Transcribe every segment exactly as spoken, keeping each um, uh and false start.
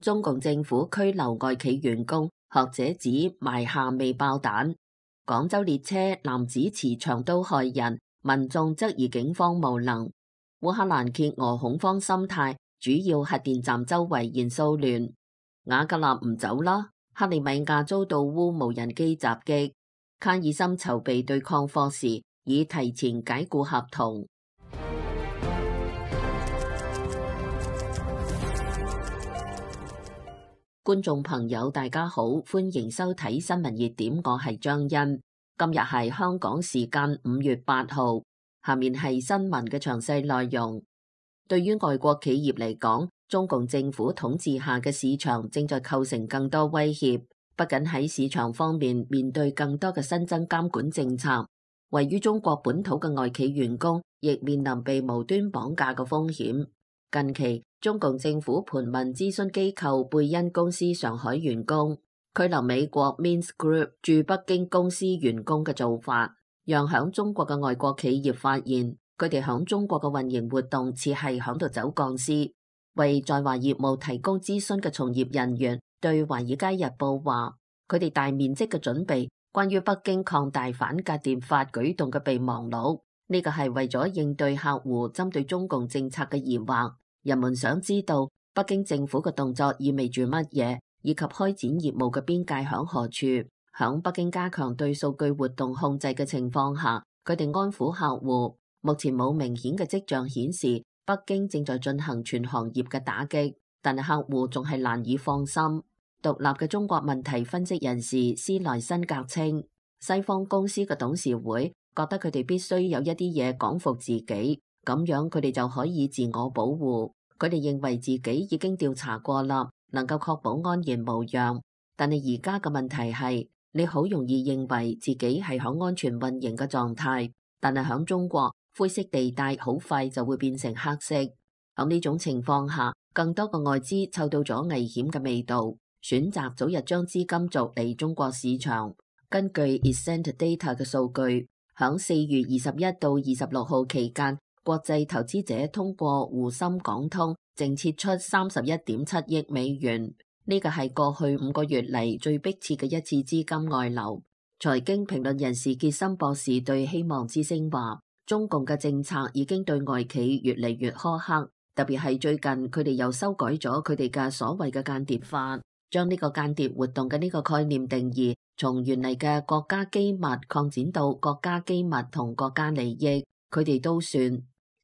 中共政府拘留外企員工，學者指埋下未爆彈。廣州列車男子持長刀害人，民眾質疑警方無能。烏克蘭揭俄恐慌心態，主要核電站周圍燃騷亂。瓦格納唔走啦，克里米亞遭到烏無人機襲擊。卡爾森籌備對抗霍時，已提前解僱合同。觀眾朋友大家好，歡迎收睇新聞熱點，我係張欣。今日係香港時間五月八號，下面係新聞嘅詳細內容。對於外國企業嚟講，中共政府統治下嘅市場正在構成更多威脅，不僅喺市場方面面對更多嘅新增監管政策，位於中國本土嘅外企員工亦面臨被無端綁架嘅風險。近期，中共政府盤問諮詢機構貝恩公司上海員工拘留美國 Mint Group 駐北京公司員工嘅做法，讓響中國嘅外國企業發現，佢哋響中國嘅運營活動似係響度走鋼絲。為在華業務提供諮詢嘅從業人員對《華爾街日報》話，佢哋大面積嘅準備關於北京擴大反間諜法舉動嘅備忘錄，呢個係為咗應對客戶針對中共政策嘅疑惑。人們想知道北京政府嘅動作意味住乜嘢，以及開展業務嘅邊界響何處。響北京加強對數據活動控制嘅情況下，佢哋安撫客戶。目前冇明顯嘅跡象顯示北京正在進行全行業嘅打擊，但係客戶仲係難以放心。獨立嘅中國問題分析人士斯萊辛格稱，西方公司嘅董事會覺得佢哋必須有一啲嘢講服自己，咁樣佢哋就可以自我保護。佢哋認為自己已經調查過啦，能夠確保安然無恙。但係而家嘅問題係，你好容易認為自己係響安全運營嘅狀態，但係響中國灰色地帶好快就會變成黑色。響呢種情況下，更多嘅外資嗅到咗危險嘅味道，選擇早日將資金續嚟中國市場。根據 Essent Data 嘅數據，響四月二十一到二十六號期間，國際投資者通過滬深港通淨撤出三十一點七億美元，呢個係過去五個月嚟最迫切嘅一次資金外流。財經評論人士傑森博士對希望之聲話，中共嘅政策已經對外企越嚟越苛刻，特別係最近佢哋又修改咗佢哋嘅所謂嘅間諜法，將呢個間諜活動嘅呢個概念定義從原嚟嘅國家機密擴展到國家機密同國家利益，佢哋都算。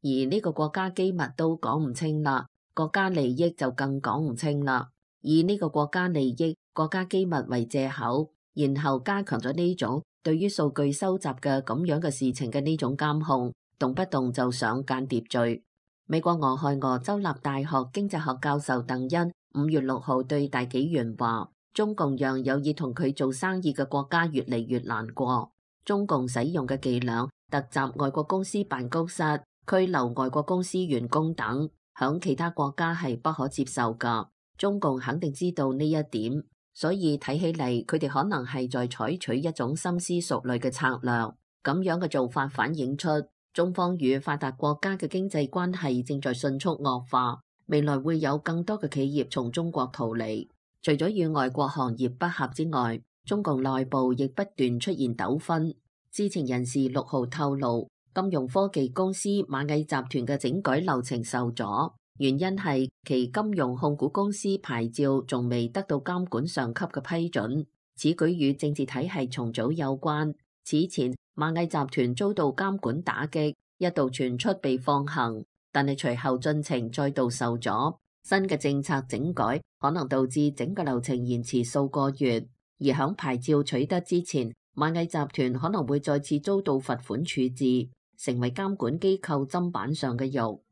而呢個國家機密都講唔清啦，國家利益就更講唔清啦。以呢個國家利益、國家機密為借口，然後加強咗呢種對於數據收集嘅咁樣嘅事情嘅呢種監控，動不動就上間諜罪。美國俄亥俄州立大學經濟學教授鄧恩五月六號對大紀元話，中共讓有意同佢做生意嘅國家越嚟越難過。中共使用嘅伎倆，突襲外國公司辦公室，拘留外國公司員工等，響其他國家係不可接受噶。中共肯定知道呢一點，所以睇起嚟佢哋可能係在採取一種深思熟慮嘅策略。咁樣嘅做法反映出中方與發達國家嘅經濟關係正在迅速惡化，未來會有更多嘅企業從中國逃離。除咗與外國行業不合之外，中共內部亦不斷出現糾紛。知情人士六號透露，金融科技公司螞蟻集團嘅整改流程受阻，原因係其金融控股公司牌照仲未得到監管上級嘅批准。此舉與政治體系重組有關。此前螞蟻集團遭到監管打擊，一度傳出被放行，但係隨後進程再度受阻。新嘅政策整改可能導致整個流程延遲數個月，而響牌照取得之前，螞蟻集團可能會再次遭到罰款處置，成為監管機構砧板上嘅肉。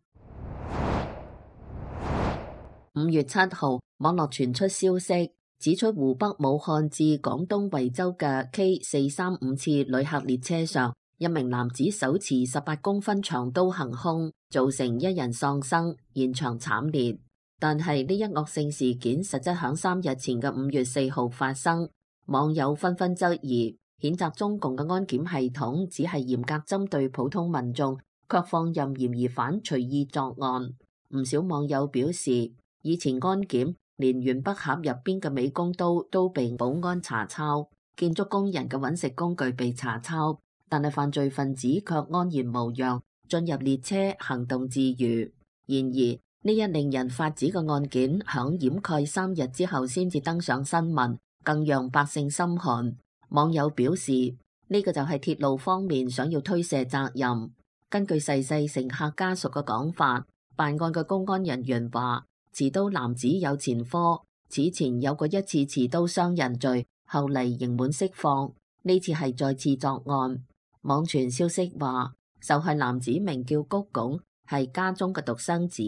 五月七號，網絡傳出消息，指出湖北武漢至廣東惠州嘅 K 四三五次旅客列車上，一名男子手持十八公分長刀行兇，造成一人喪生，現場慘烈。但係呢一惡性事件實質響三日前嘅五月四號發生，網友紛紛質疑，譴責中共嘅安檢系統只係嚴格針對普通民眾，卻放任嫌疑犯隨意作案。唔少網友表示，以前安檢連原筆盒入邊嘅美工刀都被保安查抄，建築工人嘅揾食工具被查抄，但係犯罪分子卻安然無恙，進入列車行動自如。然而呢一令人髮指嘅案件響掩蓋三日之後先至登上新聞，更讓百姓心寒。網友表示，呢個就係鐵路方面想要推卸責任。根據逝世乘客家屬嘅講法，辦案嘅公安人員話，持刀男子有前科，此前有過一次持刀傷人罪，後嚟刑滿釋放，呢次係再次作案。網傳消息話，受害男子名叫谷拱，係家中嘅獨生子，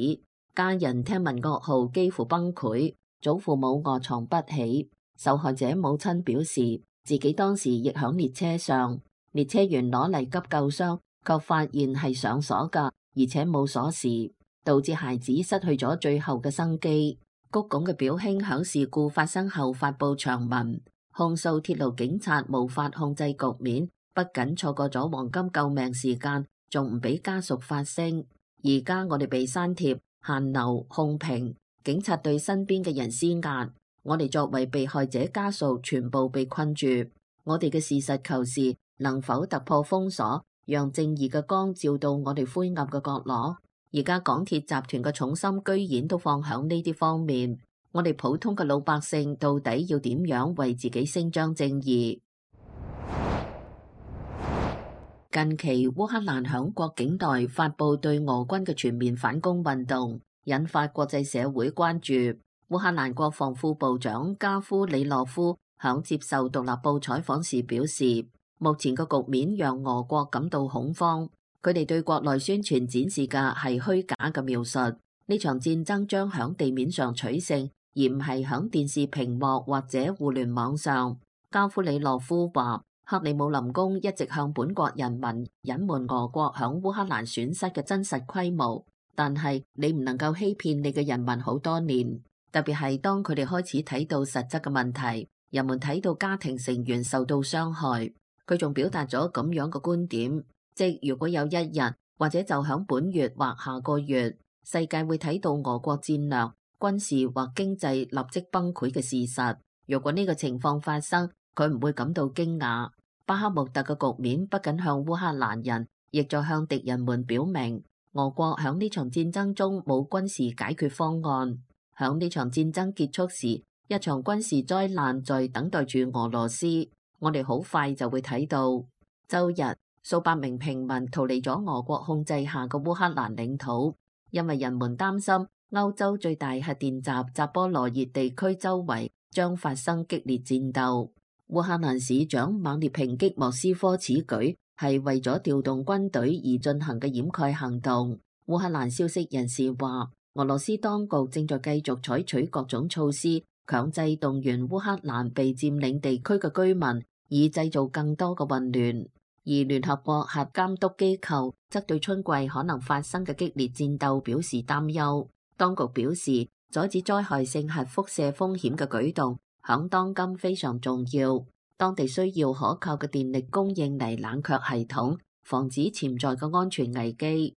家人聽聞噩耗幾乎崩潰，祖父母臥床不起。受害者母親表示，自己當時亦響列車上，列車員攞嚟急救箱，卻發現係上鎖噶，而且冇鎖匙，導致孩子失去咗最後嘅生機。谷拱嘅表兄響事故發生後發佈長文，控訴鐵路警察無法控制局面，不僅錯過咗黃金救命時間，仲唔俾家屬發聲。而家我哋被刪帖、限流、控評，警察對身邊嘅人施壓，我哋作為被害者家屬全部被困住。我哋嘅事實求是能否突破封鎖，讓正義嘅光照到我哋灰暗嘅角落？而家港鐵集團嘅重心居然都放響呢啲方面，我哋普通嘅老百姓到底要點樣為自己伸張正義？近期烏克蘭響國境內發佈對俄軍嘅全面反攻運動，引發國際社會關注。烏克蘭國防副部長加夫里諾夫響接受獨立報採訪時表示，目前嘅局面讓俄國感到恐慌。佢哋對國內宣傳展示嘅係虛假嘅描述，呢場戰爭將響地面上取勝，而唔係響電視屏幕或者互聯網上。加夫里諾夫話，克里姆林宮一直向本國人民隱瞞俄國響烏克蘭損失嘅真實規模，但係你唔能夠欺騙你嘅人民好多年，特別係當佢哋開始睇到實質嘅問題，人們睇到家庭成員受到傷害。佢仲表達咗咁樣嘅觀點，即如果有一日或者就響本月或下個月，世界會睇到俄國戰略、軍事或經濟立即崩潰嘅事實。如果呢個情況發生，佢唔會感到驚訝。巴克穆特嘅局面不僅向烏克蘭人，亦在向敵人們表明，俄國響呢場戰爭中冇軍事解決方案。響呢場戰爭結束時，一場軍事災難在等待住俄羅斯。我哋好快就會睇到。周日，數百名平民逃離咗俄國控制下嘅烏克蘭領土，因為人們擔心歐洲最大核電站扎波羅熱地區周圍將發生激烈戰鬥。烏克蘭市長猛烈抨擊莫斯科此舉係為咗調動軍隊而進行嘅掩蓋行動。烏克蘭消息人士話，俄羅斯當局正在繼續採取各種措施，強制動員烏克蘭被佔領地區嘅居民，以製造更多嘅混亂。而聯合國核監督機構則對春季可能發生嘅激烈戰鬥表示擔憂。當局表示，阻止災害性核輻射風險嘅舉動響當今非常重要。當地需要可靠嘅電力供應嚟冷卻系統，防止潛在嘅安全危機。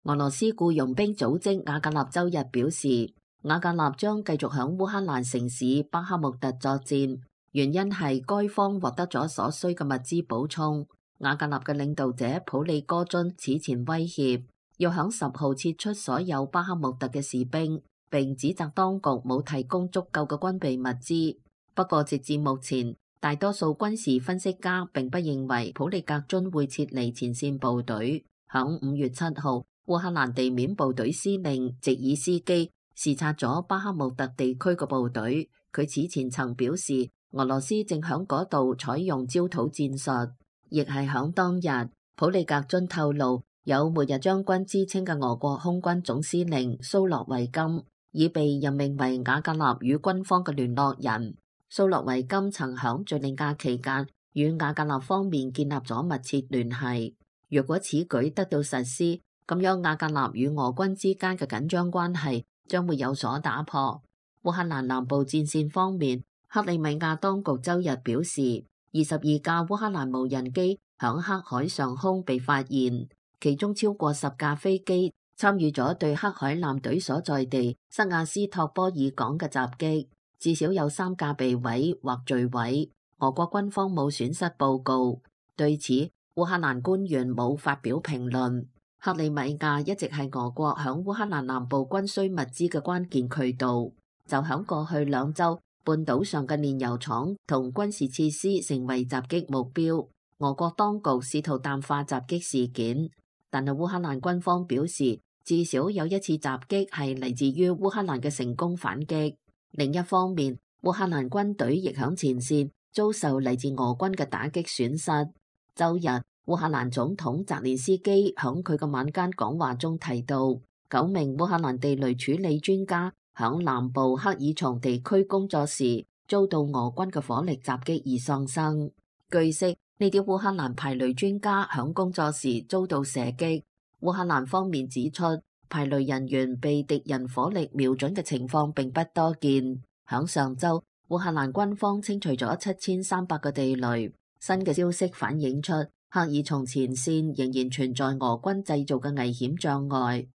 俄羅斯僱傭兵組織瓦格納周日表示，瓦格納將繼續響烏克蘭城市巴克穆特作戰，原因係該方獲得咗所需嘅物資補充。瓦格納嘅領導者普利戈津此前威脅要響十號撤出所有巴克穆特嘅士兵，並指責當局冇提供足夠嘅軍備物資。不過直至目前，大多數軍事分析家並不認為普利格津會撤離前線部隊。響五月七號，烏克蘭地面部隊司令席爾斯基視察咗巴克穆特地區嘅部隊。佢此前曾表示，俄羅斯正響嗰度採用焦土戰術。亦係響當日，普利格津透露，有末日將軍之稱嘅俄國空軍總司令蘇洛維金已被任命為瓦格納與軍方嘅聯絡人。蘇洛維金曾響敘利亞期間與瓦格納方面建立咗密切聯繫。若果此舉得到實施，咁樣瓦格納與俄軍之間嘅緊張關係將會有所打破。烏克蘭南部戰線方面，克里米亞當局周日表示，二十二架烏克蘭無人機響黑海上空被發現，其中超過十架飛機參與咗對黑海艦隊所在地塞瓦斯托波爾港嘅襲擊，至少有三架被毀或墜毀。俄國軍方冇損失報告，對此烏克蘭官員冇發表評論。克里米亞一直係俄國響烏克蘭南部軍需物資嘅關鍵渠道，就響過去兩週，半島上嘅煉油廠同軍事設施成為襲擊目標。俄國當局試圖淡化襲擊事件，但係烏克蘭軍方表示，至少有一次襲擊係嚟自於烏克蘭嘅成功反擊。另一方面，烏克蘭軍隊亦響前線遭受嚟自俄軍嘅打擊損失。周日，烏克蘭總統澤連斯基響佢嘅晚間講話中提到，九名烏克蘭地雷處理專家響南部克爾松地區工作時遭到俄軍嘅火力襲擊而喪生。據悉，呢啲烏克蘭排雷專家響工作時遭到射擊。烏克蘭方面指出，排雷人員被敵人火力瞄準嘅情況並不多見。響上週，烏克蘭軍方清除咗七千三百個地雷。新嘅消息反映出，克爾松前線仍然存在俄軍製造嘅危險障礙。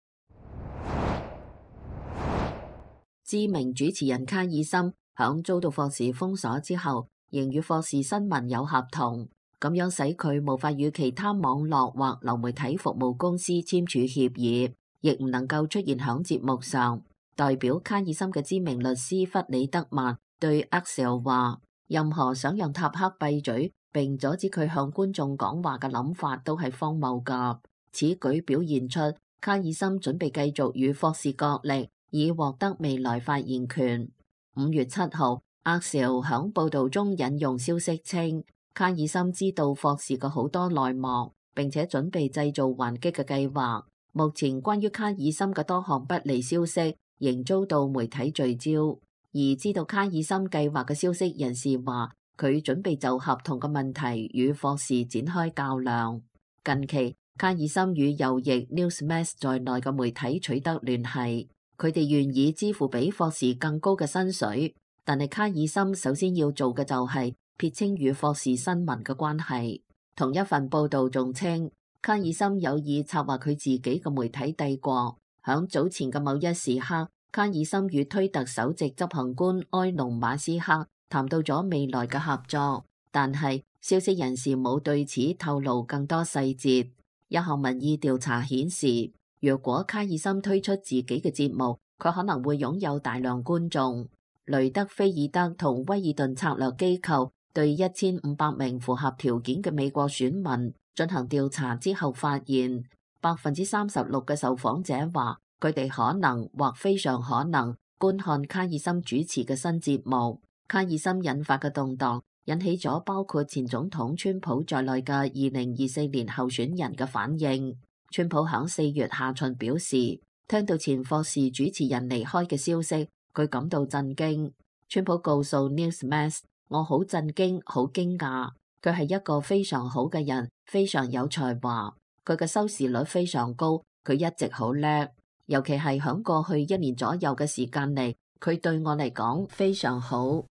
知名主持人卡爾森響遭到霍士封鎖之後，仍與霍士新聞有合同，咁樣使佢無法與其他網絡或流媒體服務公司簽署協議，亦唔能夠出現響節目上。代表卡爾森嘅知名律師弗里德曼對 Axios 話，任何想讓塔克閉嘴並阻止佢向觀眾講話嘅諗法都係荒謬㗎。此舉表現出卡爾森準備繼續與霍士角力，以獲得未來發言權。五月七號，Axios響報導中引用消息稱，卡爾森知道霍士嘅好多內幕，並且準備製造還擊嘅計劃。目前關於卡爾森嘅多項不利消息仍遭到媒體聚焦，而知道卡爾森計劃嘅消息人士話，佢準備就合同嘅問題與霍士展開較量。近期，卡爾森與右翼 Newsmax 在內嘅媒體取得聯繫，佢哋願意支付比霍士更高嘅薪水，但係卡爾森首先要做嘅就係撇清與霍士新聞嘅關係。同一份報導仲稱，卡爾森有意策劃佢自己嘅媒體帝國。響早前嘅某一時刻，卡爾森與推特首席執行官埃隆馬斯克談到咗未來嘅合作，但係消息人士冇對此透露更多細節。一項民意調查顯示，若果卡爾森推出自己嘅節目，佢可能會擁有大量觀眾。雷德菲爾德同威爾頓策略機構對一千五百名符合條件嘅美國選民進行調查之後發現，百分之三十六嘅受訪者話佢哋可能或非常可能觀看卡爾森主持嘅新節目。卡爾森引發嘅動盪引起咗包括前總統川普在內嘅二零二四年候選人嘅反應。川普響四月下旬表示，聽到前霍士主持人離開嘅消息，佢感到震驚。川普告訴 Newsmax， 我好震驚，好驚訝。佢係一個非常好嘅人，非常有才華。佢嘅收視率非常高，佢一直好叻，尤其係響過去一年左右嘅時間嚟，佢對我嚟講非常好。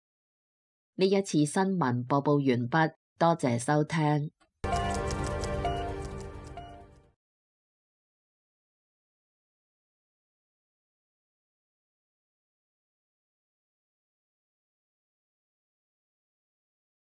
呢一次新聞播報完畢，多謝收聽。